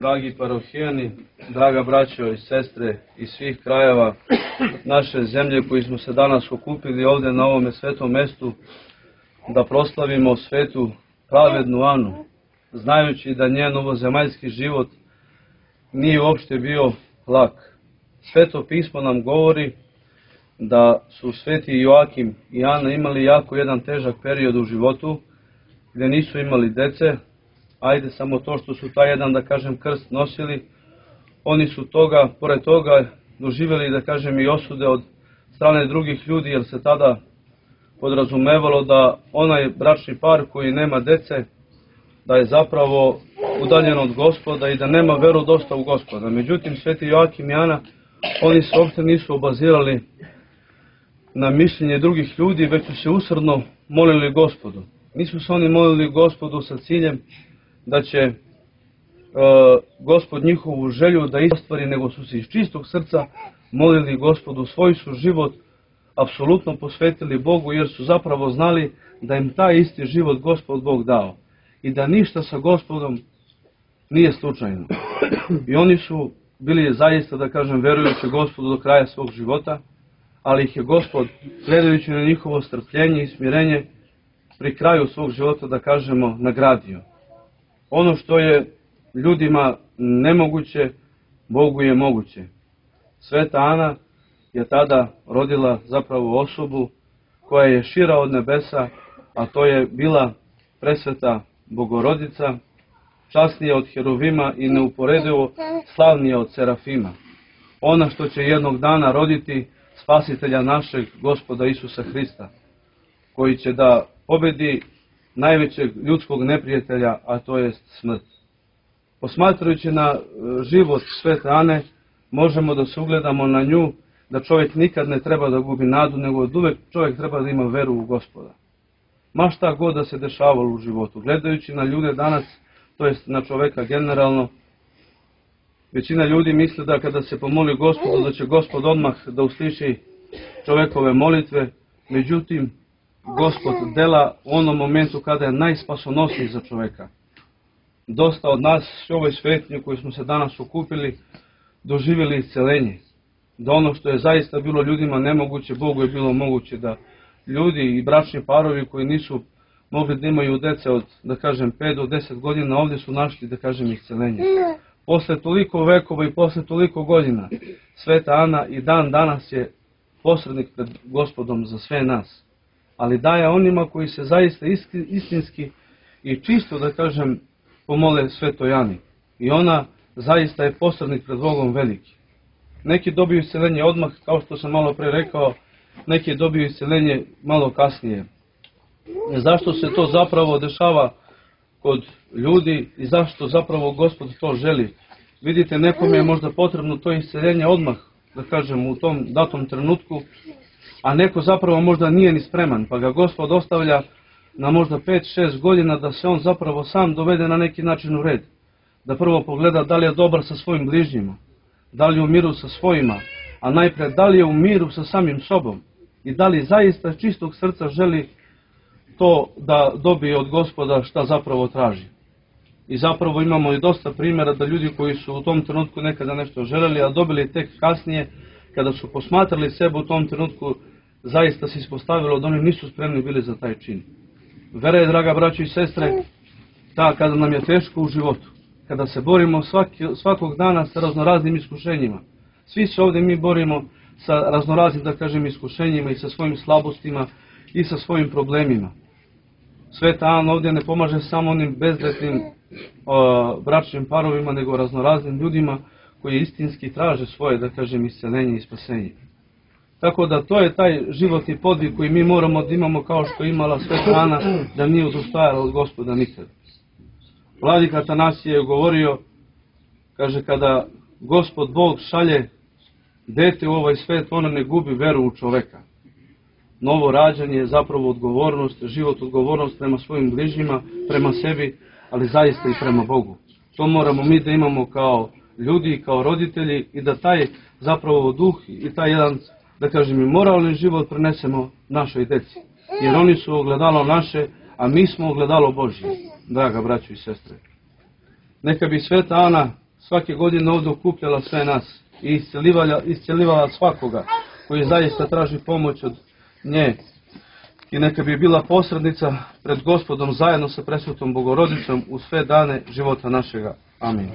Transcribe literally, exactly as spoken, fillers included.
Dragi parohijani, draga braćo i sestre iz svih krajeva naše zemlje koji smo se danas okupili ovdje na ovome svetom mestu da proslavimo svetu pravednu Anu, znajući da njen ovozemaljski život nije uopšte bio lak. Sveto pismo nam govori da su sveti Joakim i Ana imali jako jedan težak period u životu gdje nisu imali dece. Ajde samo to što su taj jedan, da kažem, krst nosili, oni su toga, pored toga doživjeli, da kažem, i osude od strane drugih ljudi, jer se tada podrazumevalo da onaj bračni par koji nema dece, da je zapravo udaljen od Gospoda i da nema veru dosta u Gospoda. Međutim, sveti Joakim i Ana, oni se uopšte nisu obazirali na mišljenje drugih ljudi, već su se usrdno molili Gospodu. Nisu se oni molili Gospodu sa ciljem da će e, Gospod njihovu želju da ostvari, nego su se iz čistog srca molili Gospodu, svoj su život apsolutno posvetili Bogu, jer su zapravo znali da im taj isti život Gospod Bog dao i da ništa sa Gospodom nije slučajno. I oni su bili zaista, da kažem, verujući Gospodu do kraja svog života, ali ih je Gospod, gledajući na njihovo strpljenje i smirenje, pri kraju svog života, da kažemo, nagradio. Ono što je ljudima nemoguće, Bogu je moguće. Sveta Ana je tada rodila zapravo osobu koja je šira od nebesa, a to je bila presveta Bogorodica, časnija od Heruvima i neuporedivo slavnija od Serafima. Ona što će jednog dana roditi spasitelja našeg Gospoda Isusa Hrista, koji će da pobedi najvećeg ljudskog neprijatelja, a to je smrt. Posmatrajući na život svete Ane, možemo da se ugledamo na nju, da čovjek nikad ne treba da gubi nadu, nego da uvek čovjek treba da ima veru u Gospoda. Ma šta god da se dešavalo u životu. Gledajući na ljude danas, to jest na čoveka generalno, većina ljudi misle da kada se pomoli Gospodu, da će Gospod odmah da usliši čovekove molitve, međutim, Gospod dela u onom momentu kada je najspasonosniji za čoveka. Dosta od nas u ovoj svetnji koji smo se danas okupili doživjeli isceljenje. Da ono što je zaista bilo ljudima nemoguće, Bogu je bilo moguće, da ljudi i bračni parovi koji nisu mogli da imaju dece od, da kažem, pet do deset godina, ovdje su našli, da kažem, isceljenje. Posle toliko vekova i posle toliko godina, sveta Ana i dan danas je posrednik pred Gospodom za sve nas. Ali daje onima koji se zaista istinski i čisto, da kažem, pomole svetoj Ani. I ona zaista je posrednik pred Bogom veliki. Neki dobiju isceljenje odmah, kao što sam malo pre rekao, neki dobiju isceljenje malo kasnije. Zašto se to zapravo dešava kod ljudi i zašto zapravo Gospod to želi? Vidite, nekome je možda potrebno to isceljenje odmah, da kažem, u tom datom trenutku, a neko zapravo možda nije ni spreman, pa ga Gospod ostavlja na možda pet šest godina da se on zapravo sam dovede na neki način u red. Da prvo pogleda da li je dobar sa svojim bližnjima, da li je u miru sa svojima, a najpre da li je u miru sa samim sobom i da li zaista čistog srca želi to da dobije od Gospoda šta zapravo traži. I zapravo imamo i dosta primjera da ljudi koji su u tom trenutku nekada nešto želeli, a dobili tek kasnije, kada su posmatrali sebe u tom trenutku, zaista se ispostavilo da oni nisu spremni bili za taj čin. Vera je, draga braćo i sestre, ta kada nam je teško u životu, kada se borimo svaki, svakog dana sa raznoraznim iskušenjima. Svi se ovdje mi borimo sa raznoraznim, da kažem, iskušenjima i sa svojim slabostima i sa svojim problemima. Sveta Ana ovdje ne pomaže samo onim bezdretnim o, bračnim parovima, nego raznoraznim ljudima koji istinski traže svoje, da kažem, isceljenje i spasenje. Tako da to je taj životni podvig koji mi moramo da imamo kao što imala sveta Ana, da nije odustajala od Gospoda nikad. Vladika Atanasije je govorio, kaže, kada Gospod Bog šalje dete u ovaj svet, ona ne gubi veru u čoveka. Novo rađanje je zapravo odgovornost, život odgovornost prema svojim bližnjima, prema sebi, ali zaista i prema Bogu. To moramo mi da imamo kao ljudi, kao roditelji i da taj zapravo duh i taj jedan, da kažem, i moralni život prenesemo našoj deci. Jer oni su ogledalo naše, a mi smo ogledalo Božje, draga braćo i sestre. Neka bi sveta Ana svake godine ovdje okupljala sve nas i iscelivala, iscelivala svakoga koji zaista traži pomoć od nje. I neka bi bila posrednica pred Gospodom zajedno sa presvetom Bogorodicom u sve dane života našega. Amin.